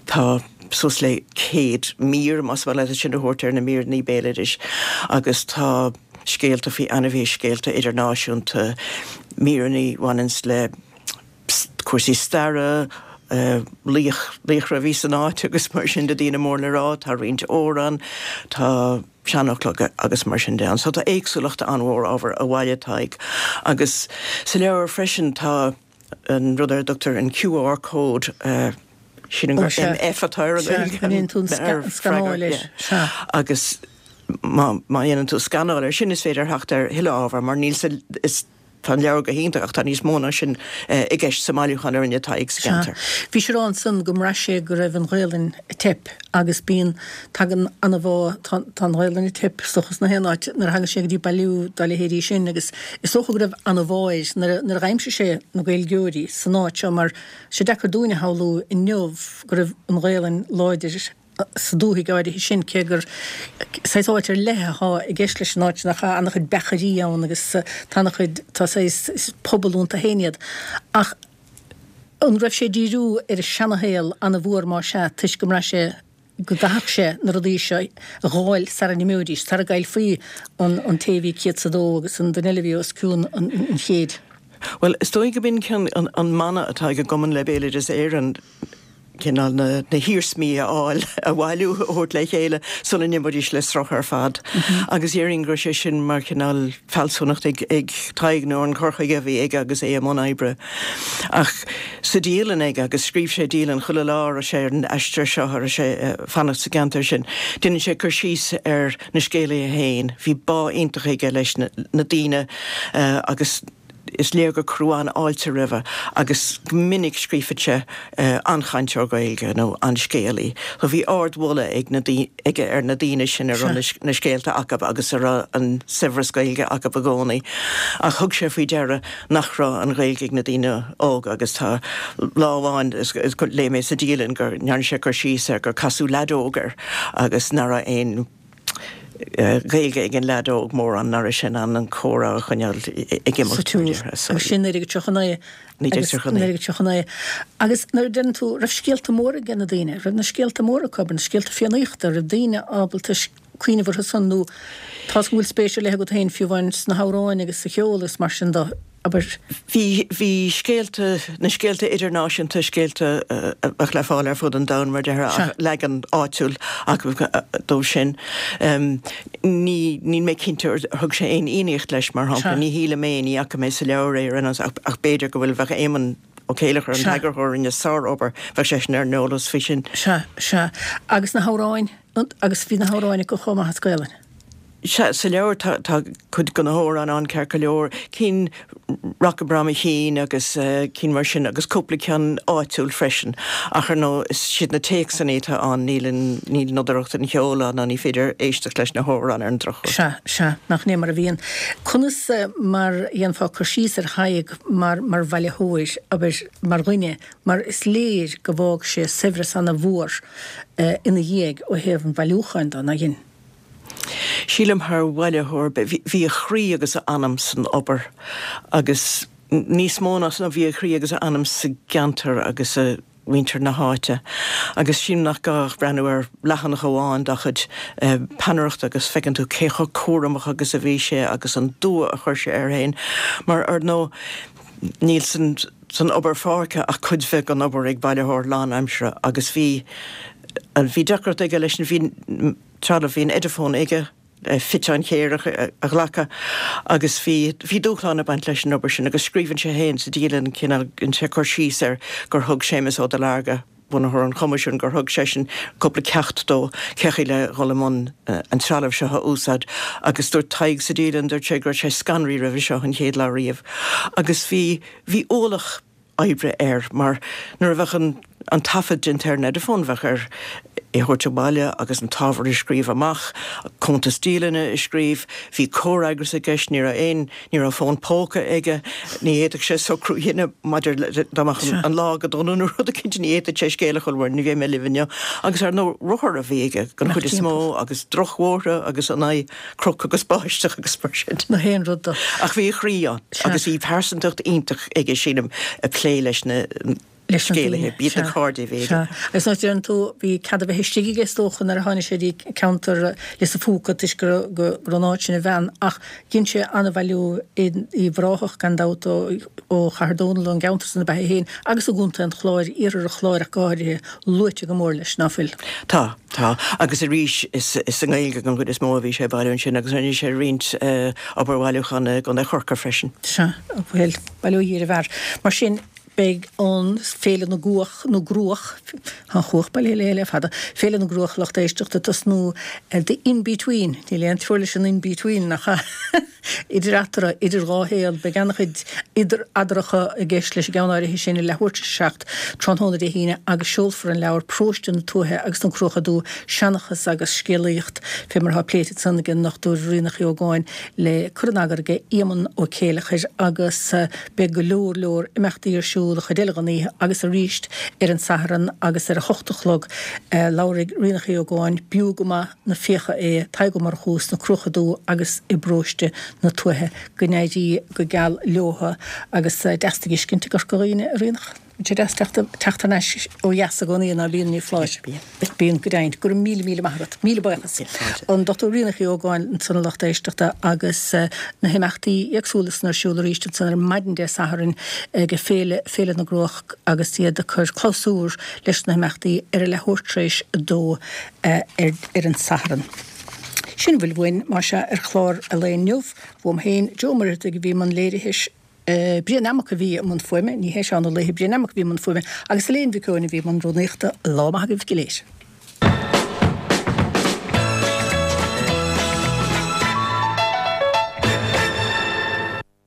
Tá. suas le 100 mír, más maith leat sin a thabhairt ar na míreanna béaloidis, agus tá scéalta faoi ainmhithe, scéalta idirnáisiúnta, míreanna a bhaineanns le cúrsaí staire, laoch, laochra a bhí san áit agus mar sin de, daoine mór le rá, tá roinnt amhrán, tá seanfhocla agus mar sin de ann. So tá éagsúlacht an-mhór ábhar a bhailigh Tadhg. Agus sa leabhar freisin tá. an rud ar a dtugtar an QR code, sílim gur MF atá ar an Ghaeilge, Sea, an ndéanann tú an scanáil air, sea. Agus má dhéanann tú scanáil air sin is féidir theacht ar thuilleadh ábhair mar níl sa, is, tá an leabhar go hiontach ach tá níos mó ná sin i gceist sa mbailiúchán a rinne Tadhg sa cheantar. Sea. Bhí sé ag rá ansan go mbraith sé go raibh an Ghaelainn ag teip agus bíonn, tagann ana-bhá, tá, tá an Ghaelainn ag teip is dócha sna haon áit nuair a thagann sé go dtí bailiú dá leithéidí sin agus is dócha go raibh ana-bhá air nuair a, nuair a dh'aimsigh sé na Gaeilgeoirí san áit seo mar tá sé deacair dúinn a shamhlú inniu go raibh an Ghaelainn láidir sa dúthaigh áirithe sin cé gur saghas áit ar leith athá i gceist leis an áit sin ach tá ana-chuid beachairí ann agus tá ana-chuid, tá saghas pobal iontu féin iad ach An raibh sé ag díriú ar an seanashaol ana-mhór más ea, toisc go mbraith sé go gcaithfeadh sé na rudaí seo a dh'fháil sara n-imeoidís, sara gcaillfí an té a bhí 102 agus an duine eile a bhí os cionn an chéid? Bhuel, is dóigh go b'in an mana atá ag an gCumann le Béaloideas Éireann, cineál na hiarsmaí a fháil, a bhailiú, a thabhairt le chéile sula n-imeoidís le sruth ar fad. Agus déarfainn go raibh sé sin mar chineál fealsúnacht ag Tadhg nó an cur chuige a bhí aige agus é i mbun oibre. Ach sa dialann aige, agus scríobh sé dialann chuile lá a raibh sé ar an aistear seo, a raibh sé ag fanacht sa gceantar sin, déanann sé cur síos ar na scéalaithe féin. Bhí bá iontach aige leis na daoine agus. Is léir gur cuireadh an-fháilte roimhe agus go minic scríobhadh sé an-chainteoir Gaeilge nó an-scéalaí. So bhí ard-mholadh ag na aige ar na daoine sin a raibh na scéalta acu agus a raibh an saibhreas Gaeilge acu i gcónaí. Ach thug sé faoi deara nach raibh an Ghaeilge ag na daoine óga agus tá lá amháin léigh mé sa dialann go ndearna sé cur síos ar gur casadh leaid óg air agus nach raibh aon Gaeilge ag an leaid óg mórán, nach raibh sé in ann an comhrá a choinneáil ag imeacht. Sa tsiúl. Agus sin 1939. 1939. 1939. Agus nuair a deireann tú, raibh scéalta móra ag na daoine, raibh na scéalta móra acu, na scéalta Fiannaíochta, raibh daoine ábalta cuimhneamh orthu san nó tá's agam go bhfuil spéis ar leith agat féin fiú amháin sna hamhráin agus sa cheol agus mar sin de. Abair. Bhí, bhí scéalta, na scéalta idirnáisiúnta, scéalta a bheadh le fáil ar fud an domhain mar déarfá, ach leagan áitiúil acu dóibh sin. Ní, níl mé cinnte ar thug sé aon Fhiannaíocht leis, mar shampla. Ní shílim é, ní fhaca mé sa leabhar é ar aon nós, ach, ach b'fhéidir go bhfuil, bheadh Éamonn Ó Céileachair, an t-eagarthóir, a rinne sár-obair, bheadh seisean ar an eolas faoi sin. Sea, sea. Agus na hamhráin, agus bhí na hamhráin acu chomh maith as Gaelainn. Sea, sa leabhar tá tá cuid de na hamhráin ann ceart go leor, cinn Rock a Brom a Chinn agus cinn mar sin agus cúpla ceann áitiúil freisin. Ach ar ndóigh is siad na téacsanna atá ann, níl an níl nodaireacht an cheoil ann ná ní féidir éisteacht leis na hamhráin ar an drochuair. Sea, sea, nach 'in é mar a bhíonn. Conas mar a dhéanfá cur síos ar Thadhg mar mar bhailitheoir, abair, mar dhuine, mar is léir go bhfág sé saibhreas ana-mhór ina dhiaidh ó thaobh an bhailiúcháin de, nach in? Sílim thar bhailitheoir, bhí a chroí agus a anam san obair agus níos mó ná san, bhí a chroí agus a anam sa gceantar agus i muintir na háite. Agus sílim nach gá ach breathnú ar leathanach amháin dá chuid peannaireachta agus feiceann tú cé chomh cúramach agus a bhí sé agus an dua a chuir sé air féin mar, ar ndóigh, níl san san obair pháirce ach cuid bheag den obair ag bailitheoir lánaimseartha agus bhí bhí deacracht aige leis an bhí trealamh, bhí an Ediphone aige le fiteáin chéarach a ghlacadh agus bhí bhí dúshlán ag baint leis an obair sin agus scríobhann sé féin sa dialann cineál déanann sé cur síos ar gur thug Séamus Ó Duilearga, bunaitheoir an Choimisiúin, gur thug seisean cúpla ceacht dó cé chaoi le dhul i mbun an trealaimh seo a úsáid agus dúirt Tadhg sa dialann, dúirt sé go raibh sé scanraithe roimhe seo an chéad lá riamh agus bhí bhí ualach oibre air mar nuair a bheadh an an taifead déanta ar an Ediphone bheadh air. é a thabhairt abhaile agus an t-ábhar a scríobh amach, cuntas dialainne a scríobh. Bhí comhfhreagras i gceist, ní raibh aon, ní raibh fón póca aige, ní fhéadfadh sé socrú a dhéanamh maidir le, dá mbeadh an lá go dona nó rud eicínt, ní fhéadfadh sé scéal a chur mar ní bheidh mé libh inniu. Agus ar ndóigh, rothar a bhí aige den chuid is mó agus drochbhóithre agus in aghaidh cnoc agus báisteach agus mar sin. Na haon rud do. Ach bhí a chroí ann agus bhí pearsantacht iontach aige, sílim, ag plé leis na leis na daoine. B'iad na cairde a bhí aige. Sea. Agus nuair a deireann tú, bhí cead a bheith istigh aige is dócha nuair a tháinig sé dtí ceantar Lios an Phúca toisc go raibh go raibh an áit sin ina bhean ach dhein sé an-bhailiú in Uíbh Ráthach gan dabht ó ó Chathair Dónall ón gceantar san ab ea é féin agus i gContae an Chláir, iarthar an Chláir ach go háirithe, luaite go mór leis, ná fuil? Tá, tá. Agus arís is is i nGaeilge den chuid is mó a bhí sé ag bailiú ansin agus rinne sé roinnt obair bhailiúcháin i gContae Chorcaí freisin. Sea, bhuel, bail ó Dhia ar an bhfear. Mar sin, Beidh an Féile na gCuach, nó gCruach, tá an chuach bailithe léi le fada, Féile na gCruach lucht éisteachta ag tosnú The In-Between, níl aon treoir leis an In-Between, nach ea? Idir eatarthu, idir dhá shaol, beidh an-chuid idir eadracha i gceist leis an gceann áirithe sin i leathuair tar éis a 7 tráthnóna Dé hAoine agus seolfar an leabhar Paróiste na Tuaithe agus na Cruacha Dubha, Seanchas agus Scéalaíocht, fé mar atá pléite ansan ag an nDr Ríonach Uí Ógáin le cur in eagar aige Éamonn Ó Céileachair agus. Beidh go leor leor imeachtaí ar siúl an chuid eile den oíche agus arís ar an Satharn agus ar a hocht a chlog labharfaidh Ríonach Uí Ógáin, b'fhiú go maith na fiacha é, Tadhg Ó Murchú sna Cruacha Dubha agus i bParóiste na Tuaithe. Go n-éirí go geal leotha agus deas tú a fheiscint i gCorca Dhuibhne, a Ríonach. Bíonn sé deas teacht thar n-ais ó dheas i gcónaí, ná bíonn, ní foláir. Bíonn, go deimhin. Go raibh míle, míle maith agat. Míle buíochas. An Dr Ríonach Uí Ógáin ansan a lucht éisteachta agus na himeachtaí éagsúla san ar siúl arís ansan ar maidin Dé Sathairn ag Féile, Féile na gCruach agus iad ag cur clabhsúr leis na himeachtaí ar a leathuair tar éis a dó ar an Satharn. Sin a bhfuil uainn, más ea, ar chlár an lae inniu. Uaim féin, Joe Ó Muircheartaigh a bhí i mbun léirithe. Brian Nammock a bhí i mbun fuaime, ní hé Seán Ó Laoithe, Brian Nammock a bhí i mbun fuaime agus Elaine Mhic Eoin a bhí i mbun rúnaíochta. Lá maith agaibh go léir.